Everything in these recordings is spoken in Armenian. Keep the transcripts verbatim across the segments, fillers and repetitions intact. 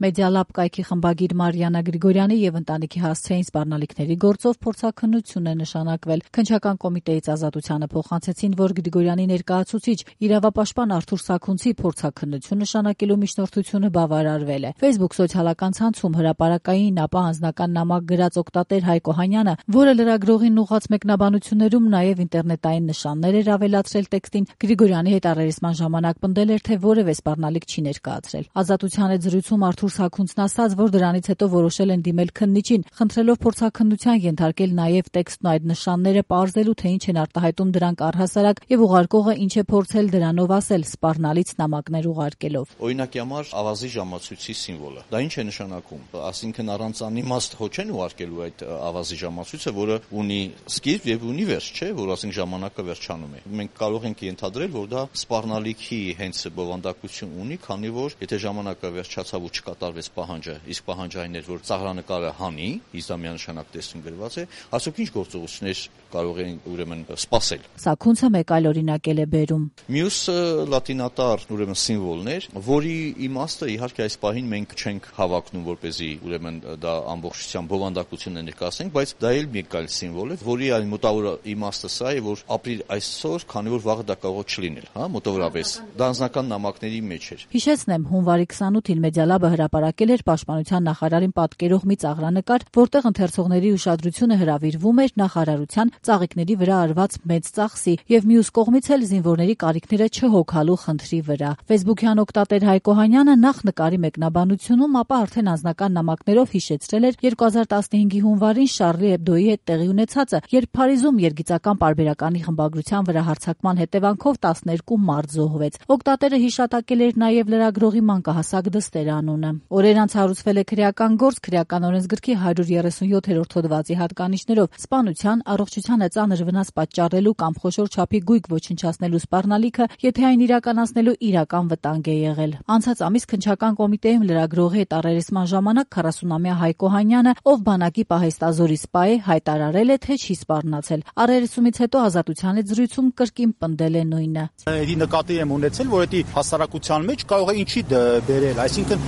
Մեդիալաբ կայքի խմբագիր Մարիաննա Գրիգորյանի եւ ընտանիքի հասցեին սպառնալիքների գործով փորձաքննություն է նշանակվել։ Քննչական կոմիտեից Ազատությանը փոխանցեցին, որ Գրիգորյանի ներկայացուցիչ իրավապաշտպան Արթուր Սաքունցի փորձաքննություն նշանակելու միջնորդությունը բավարարվել է։ Facebook սոցիալական ցանցում հրապարակային, ապա անձնական նամակ գրած օգտատեր Հայկ Օհանյանը, որը լրագրողին ուղղված մեկնաբանություններում նաեւ ինտերնետային նշաններ էր ավելացրել տեքստին, Գրիգորյանի հետ առերեսման ժամանակ պնդել էր, թե որևէ սպառնալիք չի ներկայացրել։ Ազատության հետ զրույցում Արթուր Սաքունցն ասաց, որ դրանից հետո որոշել են դիմել քննիչին, խնդրելով փորձաքննության ենթարկել նաեւ տեքստն ու այդ նշանները պարզելու, թե ինչ են արտահայտում դրանք առհասարակ եւ ուղարկողը ինչ է փորձել դրանով ասել, սպառնալից նամակներ ուղարկելով։ Օրինակի համար ավազի ժամացույցի սիմվոլը։ Դա ինչ է նշանակում։ Այսինքն առանց անիմաստ հո չեն ուղարկելու այդ ավազի ժամացույցը, որը ունի սկիզբ եւ ունի վերջ, չէ, որ ասենք ժամանակը վերջանում է։ Մենք կարող ենք ենթադրել, որ դա սպառնալիքի հենց բովանդակություն ունի, քանի որ եթե ժամանակը վերջացավ ու չկատարվեց պահանջը, իսկ պահանջը այն էր, որ ծաղրանկարը հանի, իսկ դա միանշանակ տեսում գրված է, ասոք ինչ գործողություններ կարող են ուրեմն սպասել։ Սաքունցը մեկ այլ օրինակել է բերում։ Մյուսը լատինատար ուրեմն սիմվոլներ, որի իմաստը իհարկե այս պահին մենք չենք հավակնում, որպեսզի ուրեմն դա ամբողջությամբ բովանդակություն է ներկայացնենք, բայց դա էլ մեկ այլ սիմվոլ է, որի այլ մոտավոր իմաստը սա է, որ ապրիլ այսօր, քանի որ վաղը դա կարող է չլինել, հա, մոտավորապես։ Դա անձնական նամակների մեջ էր։ Հիշեցնեմ, հունվարի քսանութին Մեդիալաբը հրապարակել էր Պաշտպանության նախարարին պատկերող մի ծաղրանկար, որտեղ ընթերցողների ուշադրությունը հրավիրվում էր նախարարության ծաղիկների վրա արված մեծ ծախսի եւ մյուս կողմից էլ զինվորների կարիքները չհոգալու խնդրի վրա։ Facebook-յան օգտատեր Հայկ Օհանյանը նախ նկարի մեկնաբանությունում, ապա արդեն անձնական նամակներով հիշեցրել էր երկու հազար տասնհինգի հունվարին Շարլի Էբդոյի հետ տեղի ունեցածը, երբ Փարիզում երգիծական պարբերականի խմբագրության վրա հարձակման հետևանքով տասներկու մարդ զոհվեց։ Օգտատերը հիշատակել էր նաեւ լրագրողի մանկահասակ Դստեր անունը։ Օրեր անց հարուցվել է քրեական գործ քրեական օրենսգրքի հարյուր երեսունյոթերորդ հոդվածի հատկանիշներով սպանության, առողջությանը ծանր վնաս պատճառելու կամ խոշոր չափի գույք ոչնչացնելու սպառնալիքը, եթե այն իրականացնելու իրական վտանգ է եղել։ Անցած ամիս քննչական կոմիտեում լրագրողի հետ առերեսման ժամանակ քառասունամյա Հայկ Օհանյանը, ով բանակի պահեստազորի սպա է, հայտարարել է, թե չի սպառնացել։ Առերեսումից հետո Ազատության հետ զրույցում կրկին պնդել է նույնը։ Էդի նկատի եմ ունեցել, որ էդի հասարակության մեջ կարող է ինչի բերել, այսինքն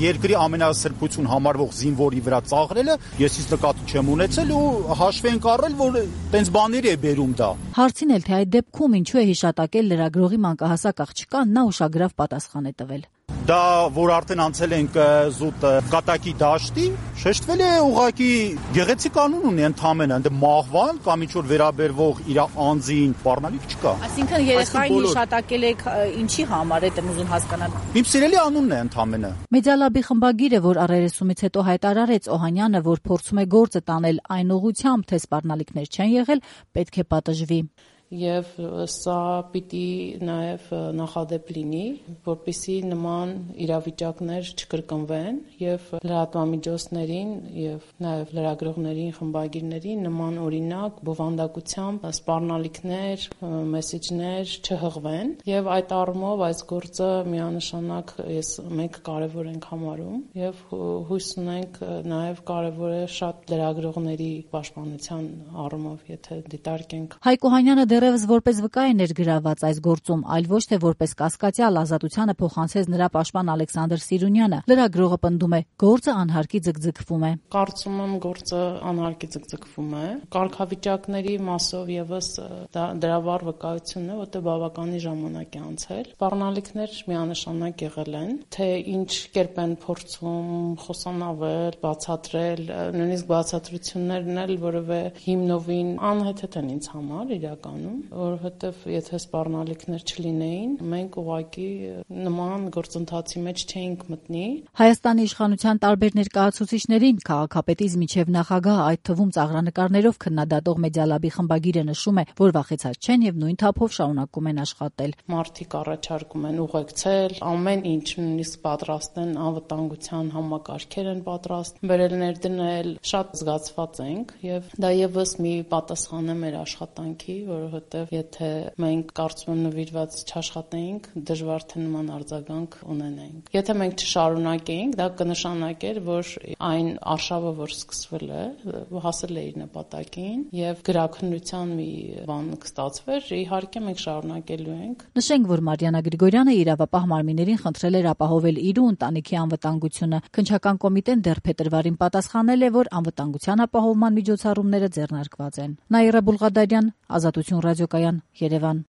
երկրի ամենասրբություն համարվող զինվորի վրա ծաղրելը, ես իսկ նկատի չեմ ունեցել ու հաշվի ենք առել, որ տենց բաների է բերում դա։ Հարցին էլ թե այդ դեպքում ինչու է հիշատակել լրագրողի մանկահասակ աղջկան, նա ուշագրավ պատասխան է տվել։ Դա որ արդեն անցել ենք զուտ կատակի դաշտի, շեշտվել է ուղղակի գեղեցիկ անուն ունի ընդամենը, ընդ մահվան կամ ինչ որ վերաբերվող իր անձին սպառնալիք չկա։ Այսինքն երեխային հիշատակել եք ինչի համար, այդ եմ ուզում հասկանալ։ Իմ սիրելի անունն է ընդամենը։ Մեդիալաբի խմբագիրը, որ առերեսումից հետո հայտարարեց Օհանյանը, որ փորձում է գործը տանել այն ուղղությամբ, թե սպառնալիքներ չեն եղել, պետք է պատժվի։ Եվ սա պիտի նաև նախադեպ լինի, որպեսզի նման իրավիճակներ չկրկնվեն եւ լրատվամիջոցներին եւ նաև լրագրողներին, խմբագիրներին նման օրինակ բովանդակությամբ սպառնալիքներ, մեսեջներ չհղվեն եւ այդ առումով այս գործը միանշանակ ես մենք կարեւոր ենք համարում եւ հույս ունենք նաև կարեւոր է շատ լրագրողների պաշտպանության առումով, եթե դիտարկենք։ Հայկ Օհանյանը դեռևս որպես վկա է ներգրաված այս գործում, այլ ոչ թե որպես կասկածյալ Ազատությանը փոխանցեց նրա պաշտպան Ալեքսանդր Սիրունյանը։ Լրագրողը պնդում է, գործը անհարկի ձգձգվում է։ Կարծում եմ գործը անհարկի ձգձգվում է։ Կարգավիճակների մասով եւս դրա վառ վկայությունն է, որտեղ բավականին ժամանակ է անցել։ Սպառնալիքներ միանշանակ եղել են, թե ինչ կերպ են փորձում խոսանավել, բացատրել, նույնիսկ բացատրություններն էլ որևէ հիմնովին անհեթեթ են ինձ համար իրականում, որովհետև եթե սպառնալիքներ չլինեին, մենք ուղղակի նման գործընթացի մեջ չէինք մտնի։ Հայաստանի իշխանության տարբեր ներկայացուցիչներին քաղաքապետից մինչև նախագահ, այդ թվում ծաղրանկարներով քննադատող Մեդիալաբի խմբագիրը նշում է, որ վախեցած չեն եւ նույն թափով շարունակում են աշխատել։ Մարդիկ առաջարկում են ուղեկցել, ամեն ինչ նույնիսկ պատրաստ են, անվտանգության համակարգեր են պատրաստ, բերել ներդնել, շատ զգացված ենք եւ դա եւս մի պատասխան է մեր աշխատանքի, որովհետեւ որովհետև եթե մենք կարծում եմ նվիրված չաշխատեինք, դժվար թե նման արձագանք ունենայինք։ Եթե մենք չշարունակեինք, դա կնշանակեր, որ այն արշավը, որ սկսվել է, հասել է իր նպատակին եւ գրաքննության մի բան կստացվեր, իհարկե մենք շարունակելու ենք։ Նշենք, որ Մարիաննա Գրիգորյանը իրավապահ մարմիններին խնդրել էր ապահովել իր ու ընտանիքի անվտանգությունը։ Քննչական կոմիտեն դեռ փետրվարին պատասխանել է, որ անվտանգության ապահովման միջոցառումները ձեռնարկված են։ Նաիրա Բուլղադարյան, Ազատություն ռադիոկայան, Երևան։